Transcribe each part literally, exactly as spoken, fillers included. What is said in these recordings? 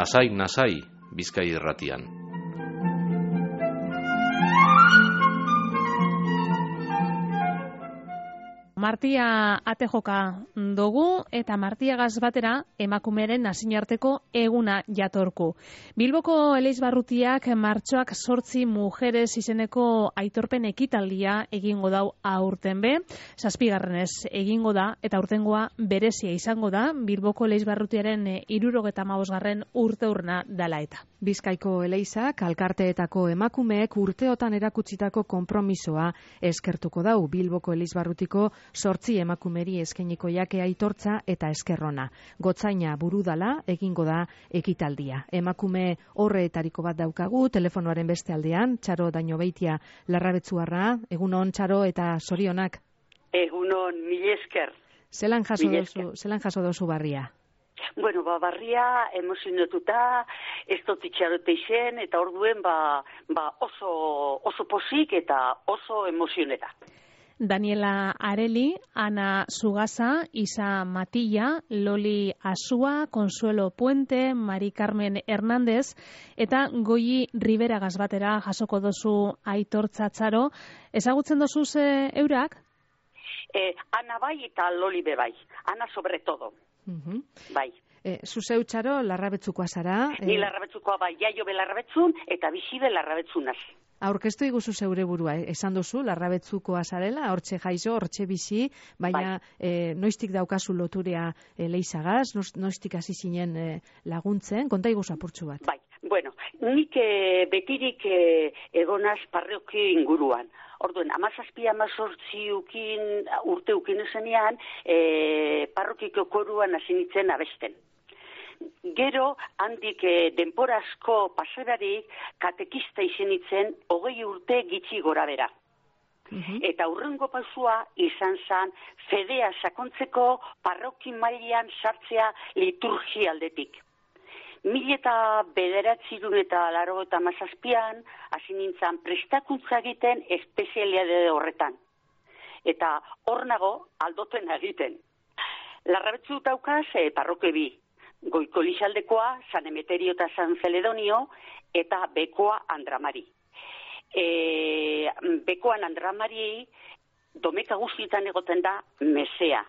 Nasai, nasai, Bizkai Irratian. Martia atejoka dugu eta martiagaz batera emakumeren nazioarteko eguna jatorku. Bilboko Eleizbarrutiak martxoak zortzi mujeres izeneko aitorpen ekitaldia egingo dau aurten be. Zazpigarrenez egingo da eta aurtengoa berezia izango da Bilboko Eleizbarrutiaren hirurogeta hamabosgarren urteurrena dala eta. Bizkaiko Eleizak alkarteetako emakumeek urteotan erakutsitako konpromisoa eskertuko dau Bilboko Eleizbarrutiko sortzi emakumeri eskainiko jake aitortza eta eskerrona. Gotzaina burudala egingo da ekitaldia. Emakume horretariko bat daukagu, telefonoaren beste aldean, Txaro Dañobeitia Larrabetzuarra. Egunon, Txaro, eta zorionak. Egunon, mila esker. Zelan jaso dozu, zelan jaso dozu barria? Bueno, ba, barria emozionatuta, ez dut itxarote izen, eta orduen ba, ba oso, oso posik eta oso emozioneta. Daniela Areli, Ana Sugasa, Isa Matilla, Loli Asua, Consuelo Puente, Mari Carmen Hernández eta Goyi Riberagaz batera jasoko dozu aitortza, Txaro. Ezagutzen dozu ze eurak? Eh, Ana bai eta Loli be bai. Ana sobre todo. Uh-huh. Bai. E, zuzeu, Txaro, Larrabetzukoa zara. Ni Larrabetzukoa bai, jaio be Larrabetzun eta bizi be Larrabetzunaz. Aurkeztu iguzu zeure burua, esan duzu, Larrabetzukoa zarela, hortxe jaizo, hortxe bizi, baina bai. e, noiztik daukazu loturea e, Leizagaz, noiztik hasi zinen e, laguntzen, konta iguzu apurtxu bat. Bai, bueno, nik e, betirik e, egonaz parroki inguruan. Orduen, amazazpi amazortzi ukin, urte ukin ezenean, e, parrokiko koruan hasi nintzen abesten. Gero, handik eh, denpora asko paserarik katekista izenitzen hogei urte gitxi gora bera. Uh-huh. Eta hurrengo pausua izan zan fedea sakontzeko parroki mailan sartzea liturgia aldetik. Mil eta bederatzirun eta laro eta mazazpian hasi nintzen prestakuntza egiten espezialiade horretan. Eta hor nago aldoten egiten. Larrabetzu daukaz eh, parroke bi. Goiko Lixaldekoa, San Emeterio eta San Celedonio, eta Bekoa Andramari. E, Bekoan Andramari domeka guztietan egoten da mesea.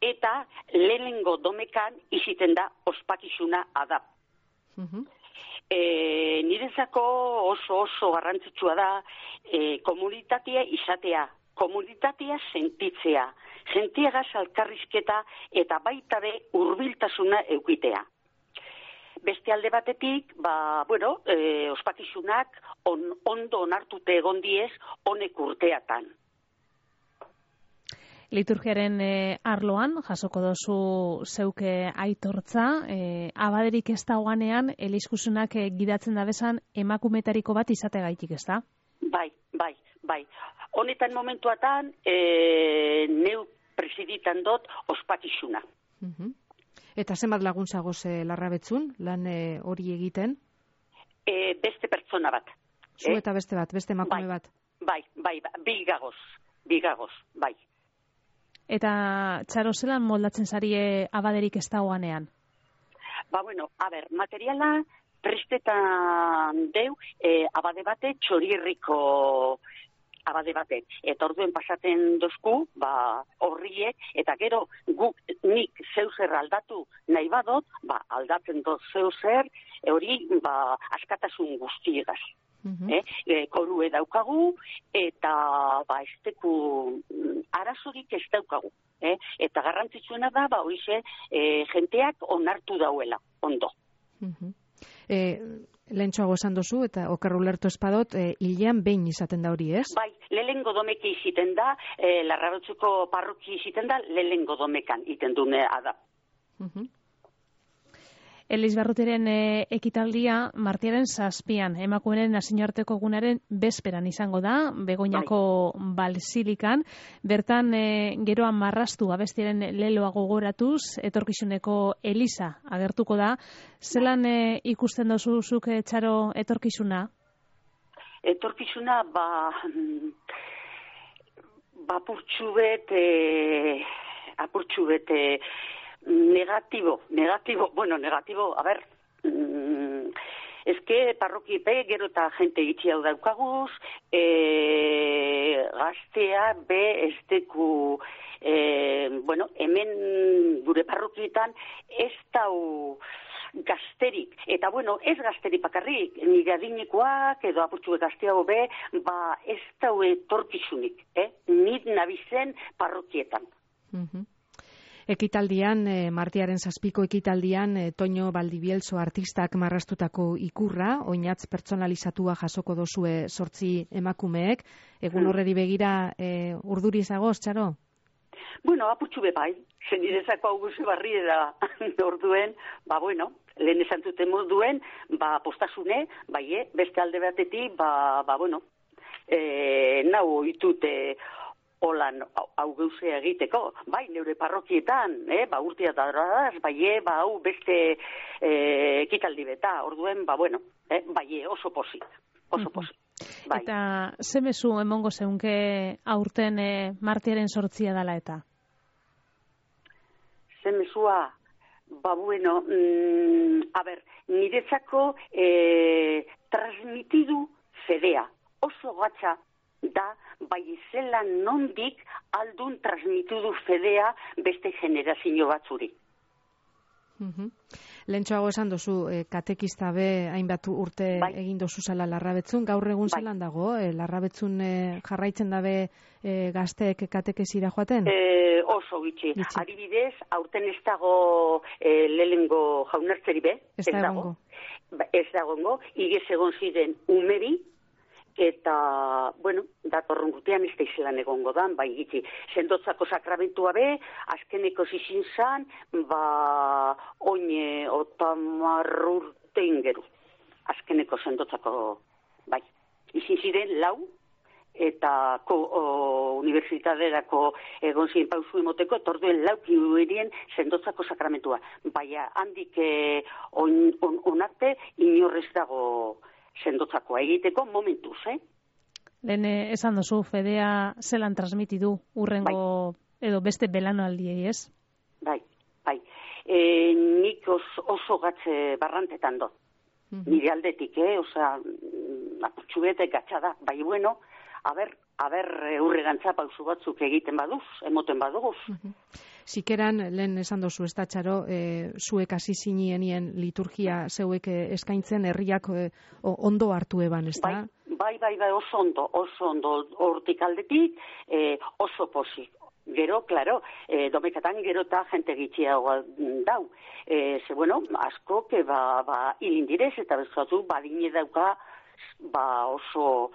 Eta lehenengo domekan iziten da ospakizuna adap. Uh-huh. E, nirezako oso oso garrantzitsua da e, komunitatea izatea, komunitatea sentitzea. Gentiagaz alkarrizketa eta baita be hurbiltasuna eukitea. Beste alde batetik, ba, bueno, e, ospakizunak on, ondo onartute egon diez honek urteatan. Liturgiaren e, arloan, jasoko dozu zeuke aitortza, e, abaderik ez da hoganean, elizkusunak e, gidatzen da bezan emakumetariko bat izate gaitik, ez da? Bai, bai, bai. Honetan momentuatan, e, neu presiditan dot ospakizuna. Uh-huh. Eta zenbat laguntza goze Larrabetzun, lan hori e, egiten? E, beste pertsona bat. Zu eh? Eta beste bat, beste emakume bai, bat? Bai, bai, bai, bigagoz, bigagoz, bai. Eta Txaro, zelan moldatzen zarie abaderik ez dagoanean? Ba, bueno, a ber, materiala prestetan deu, e, abade bate txorirriko abade batek. Eta orduen pasaten dozku, ba, horriek, eta gero guk nik zeuzer aldatu nahi badot, ba, aldatzen dut zeuzer, hori, ba, askatasun guztiegaz. Uh-huh. eh? e, korue daukagu, eta, ba, ez teku arazorik ez daukagu. Eh? Eta garrantzitsuena da, ba, horixe, e, jenteak onartu dauela, ondo. Uh-huh. E, Lehentxoago esan dozu, eta okerru lertu espadot, e, hilean behin izaten da hori, ez? Bai, lehengo domeki iziten da, e, Larrabetzuko parroki iziten da, lehengo domekan iten dune ada. Uh-huh. Eleizbarrutiaren e, ekitaldia martiaren zazpian, emakumeen nazioarteko egunaren bezperan izango da, Begoñako Basilikan. Bertan e, geroan marrastu abestiaren leloa gogoratuz, etorkizuneko Eliza agertuko da. Zelan e, ikusten dozuzuk e, Txaro etorkizuna? Etorkizuna, ba, ba apurtxu bet, e, apurtxu bet, e, negatibo, negatibo, bueno, negatibo, a ber, ezke parrokipe gero eta jente itxi hau daukaguz, e, gaztea be ez deku, e, bueno, hemen gure parrokietan ez dau gazterik, eta bueno, ez gazterik bakarrik, nire adinekoak edo apurtxue gazteago be, ba ez dau etorkizunik, eh? Nit nabizen parrokietan. Mhm. Ekitaldian, e, martiaren zazpiko ekitaldian, e, Toño Baldibielso artistak marrastutako ikurra, oinatz pertsonalizatua jasoko dozue sortzi emakumeek, egun horreri begira e, urduri zagoz, Txaro? Bueno, apurtxu be bai, zenidezako hau guze barri da orduen, ba bueno, lehen esan zuten moduen, ba postasune, bai, eh? Beste alde batetik, ba, ba bueno, e, nau oitute holan hau geuzea egiteko, bai, neure parrokietan, eh? Ba urtea da daz, bai, eh? Ba hau beste e, ekitaldi beta, orduen, ba bueno, eh? Bai, eh? Oso posik, oso posik. Bai. Eta ze mezu emongo zeunke aurten e, martiaren sortzia dala eta? Ze mezua, ba bueno, mm, a ber, niretzako e, transmitidu fedea. Oso gatza da, bai zela nondik aldun transmitidu fedea beste generazio batzuri. Mhm. Lentsoago esan dozu, e, katekista be hainbat urte bai. Egin dozu zela Larrabetzun, gaur egun bai. Zelan dago, e, Larrabetzun e, jarraitzen dabe e, gazteek katekesira joaten? E, oso gitxi. Gitxi. Adibidez, aurten ez dago e, lehengo jaunertzeri be, ez, ez dago. Ba, ez dago, igez egon ziren umebi, eta, bueno, datorren gutean ez da izelan egongo dan, bai gitxi. Sendotzako sakramentua be, azkeneko zizin zan, ba, oine otamarrurte ingeru. Azkeneko sendotzako, bai. Izin ziren lau, eta ko, o, unibertsitaterako egon ziren pausu emoteko, etorduen lauki huerien sendotzako sakramentua. Baina, handik eh, on, on, onarte, inorrez dago sendotzakoa egiteko momentuz, eh? Lehen esan dozu, fedea zelan transmitidu urrengo bai. Edo beste belanoaldiei, ez? Bai, bai. E, nik os, oso gatze barrantetan do. Mm-hmm. Nire aldetik, eh? Osea, apurtxubete gatxada. Bai, bueno, aber, aber urregantza pausu batzuk egiten baduz, emoten baduguz. Mm-hmm. Sikeran, lehen esan dozu ez da, Txaro, e, zuek hasi zinienien liturgia zeuek eskaintzen herriak e, ondo hartu eban, ez da? Bai, bai, bai, bai, oso ondo, oso ondo, hortik aldetik, e, oso posik. Gero, klaro, e, domekatan gero eta jente gitxiagoa dau. E, ze, bueno, asko, que ba, ba, hilindirez, eta bezatu, badine dauka, ba, oso...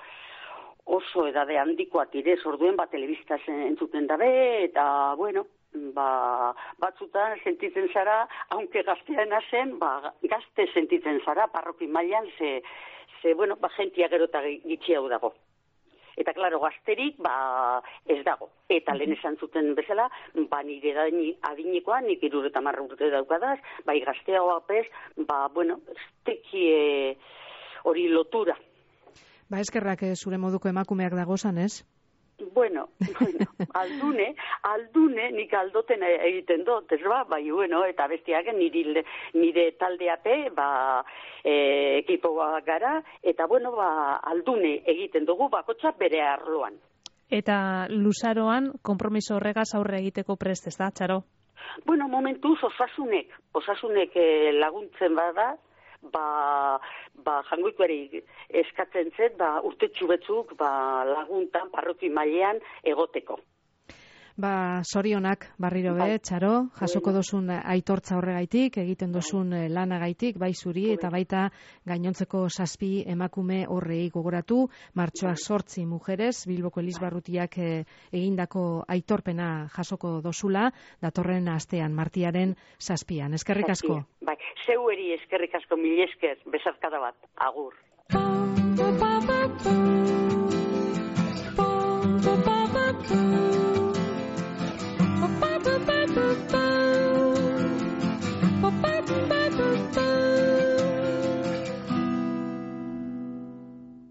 oso edade handikoa tirez, orduen, ba, telebiztaz entzuten dabe, eta, bueno, ba, batzutan sentitzen zara, aunque gaztean zen, ba, gazte sentitzen zara, parroki mailan, ze, ze, bueno, ba, jentia gero eta gitxiago dago. Eta, klaro, gazterik, ba, ez dago. Eta lehen esan zuten bezala, ba, nire adinekoa, nik irureta marra urte daukadaz, bai, gazteago apez, ba, bueno, estekie hori lotura. Ba, eskerrak zure moduko emakumeak dagozan, ez? Bueno, bueno, aldune, aldune nik aldoten egiten dut, ez ba, bai, bueno, eta bestiak nire, nire taldeape, ba, e, ekipoa gara, eta, bueno, ba, aldune egiten dugu, bakotxa bere arloan. Eta luzaroan, konpromiso horregaz aurre egiteko prest, ez da, Txaro? Bueno, momentuz, osasunek, osasunek eh, laguntzen bada, ba, ba jangoikoari eskatzen zet, ba, urtetxu betzuk, ba, laguntan, parroki mailean egoteko. Ba, sorionak barriro be, bai. Txaro, jasoko bueno. Dozun aitortza horregaitik, egiten dozun bai. Lanagaitik, bai zuri, bai. Eta baita gainontzeko zazpi emakume horrei gogoratu, martxoak sortzi mujeres, Bilboko Elizbarrutiak eh, egindako aitorpena jasoko dozula, datorren astean, martiaren zazpian. Eskerrik asko. Bai, zeueri eskerrik asko, mil esker, besarkada bat, agur.